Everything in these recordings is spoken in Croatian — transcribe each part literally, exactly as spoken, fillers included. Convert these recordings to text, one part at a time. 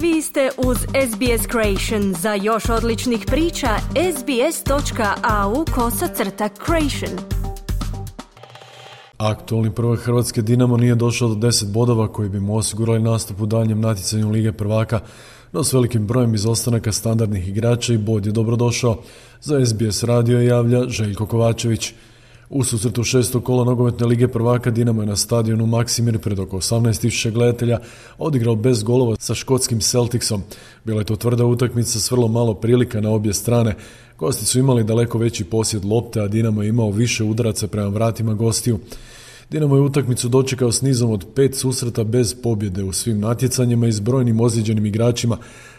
Vi ste uz S B S Creation. Za još odličnih priča, sbs.au kosacrta creation. Aktualni prvak Hrvatske Dinamo nije došao do deset bodova koji bi mu osigurali nastup u daljnjem natjecanju Lige prvaka, no s velikim brojem izostanaka standardnih igrača i bod je dobrodošao. Za S B S radio javlja Željko Kovačević. U susretu šestog kola nogometne Lige prvaka Dinamo je na stadionu Maksimir pred oko osamnaest tisuća gledatelja odigrao bez golova sa škotskim Celticsom. Bila je to tvrda utakmica s vrlo malo prilika na obje strane. Gosti su imali daleko veći posjed lopte, a Dinamo je imao više udaraca prema vratima gostiju. Dinamo je utakmicu dočekao s nizom od pet susreta bez pobjede u svim natjecanjima i s brojnim ozlijeđenim igračima.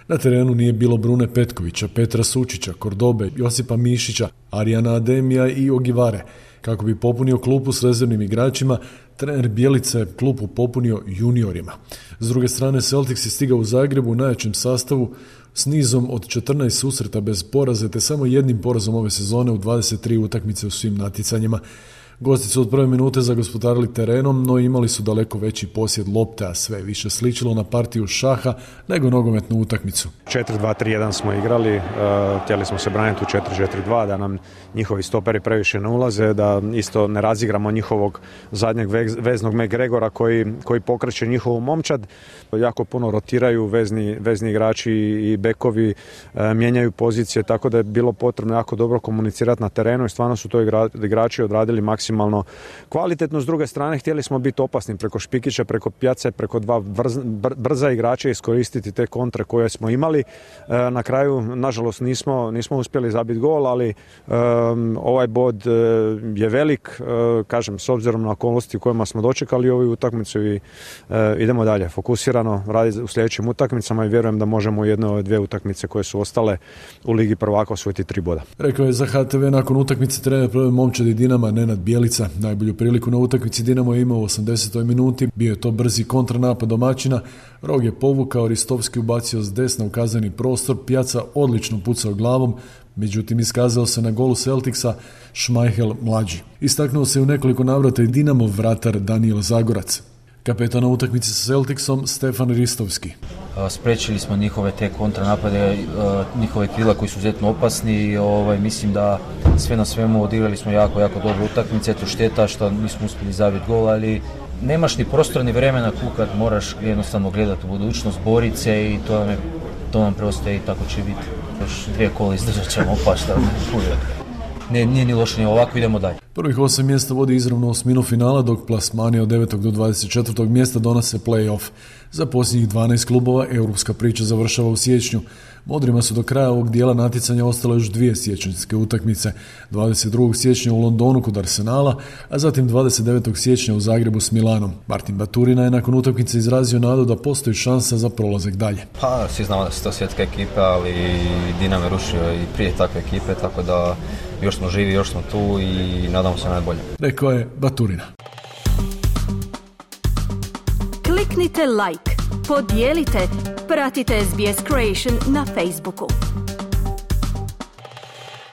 Na terenu nije bilo Brune Petkovića, Petra Sučića, Kordobe, Josipa Mišića, Arijana Ademija i Ogivare. Kako bi popunio klupu s rezervnim igračima, trener Bjelica je klupu popunio juniorima. S druge strane, Celtics je stigao u Zagrebu u najjačem sastavu s nizom od četrnaest susreta bez poraza, te samo jednim porazom ove sezone u dvadeset tri utakmice u svim natjecanjima. Gosti su od prve minute zagospodarili terenom, no imali su daleko veći posjed lopte, a sve više sličilo na partiju šaha nego nogometnu utakmicu. četiri dva tri jedan smo igrali, uh, htjeli smo se braniti u četiri četiri dva, da nam njihovi stoperi previše ne ulaze, da isto ne razigramo njihovog zadnjeg veznog McGregora koji, koji pokreće njihovu momčad. Jako puno rotiraju vezni, vezni igrači i bekovi, uh, mijenjaju pozicije, tako da je bilo potrebno jako dobro komunicirati na terenu i stvarno su to igra, igrači odradili maksimalno maksimalno kvalitetno. S druge strane, htjeli smo biti opasni preko Špikića, preko Pjace, preko dva brz, brza igrača, iskoristiti te kontre koje smo imali. E, na kraju, nažalost, nismo, nismo uspjeli zabiti gol, ali e, ovaj bod e, je velik, e, kažem, s obzirom na okolnosti u kojima smo dočekali ovu utakmicu i e, idemo dalje. Fokusirano raditi u sljedećim utakmicama i vjerujem da možemo u jednoj ove dvije utakmice koje su ostale u Ligi prvaka osvojiti tri boda. Rekao je za H T V nakon utakmice trener prve momčadi Dinama Nenad Bjelica. Najbolju priliku na utakmici Dinamo je imao u osamdesetoj minuti. Bio je to brzi kontranapad domaćina. Rog je povukao, Ristovski ubacio s desna u kazneni prostor. Pjaca odlično pucao glavom, međutim iskazao se na golu Celticsa Šmajhel mlađi. Istaknuo se u nekoliko navrata i Dinamov vratar Daniel Zagorac. Kapetan na utakmici sa Celticsom Stefan Ristovski. Sprečili smo njihove te kontranapade, njihove krila koji su izuzetno opasni i ovaj, mislim da sve na svemu odigrali smo jako, jako dobro utakmice. Eto šteta što nismo uspjeli zabiti gol, ali nemaš ni prostora ni vremena kukat, moraš jednostavno gledati u budućnost, boriti se i to nam, je, to nam preostaje i tako će biti. Još dvije kola izdržat ćemo opašta. Ne, nije ni loše, ni ovako, idemo dalje. Prvih osam mjesta vodi izravno osminu finala, dok plasmani od devetog do dvadeset četvrtog mjesta donose play-off. Za posljednjih dvanaest klubova europska priča završava u siječnju. Modrima su do kraja ovog dijela natjecanja ostale još dvije siječanjske utakmice. dvadeset drugog siječnja u Londonu kod Arsenala, a zatim dvadeset devetog siječnja u Zagrebu s Milanom. Martin Baturina je nakon utakmice izrazio nadu da postoji šansa za prolazak dalje. Pa, svi znamo da su to svjetska ekipa, ali Dinamo je rušio i prije takve ekipe, tako da još smo živi, još smo tu i nadamo se najbolje. Rekao je Baturina. Kliknite like, podijelite, pratite S B S Creation na Facebooku.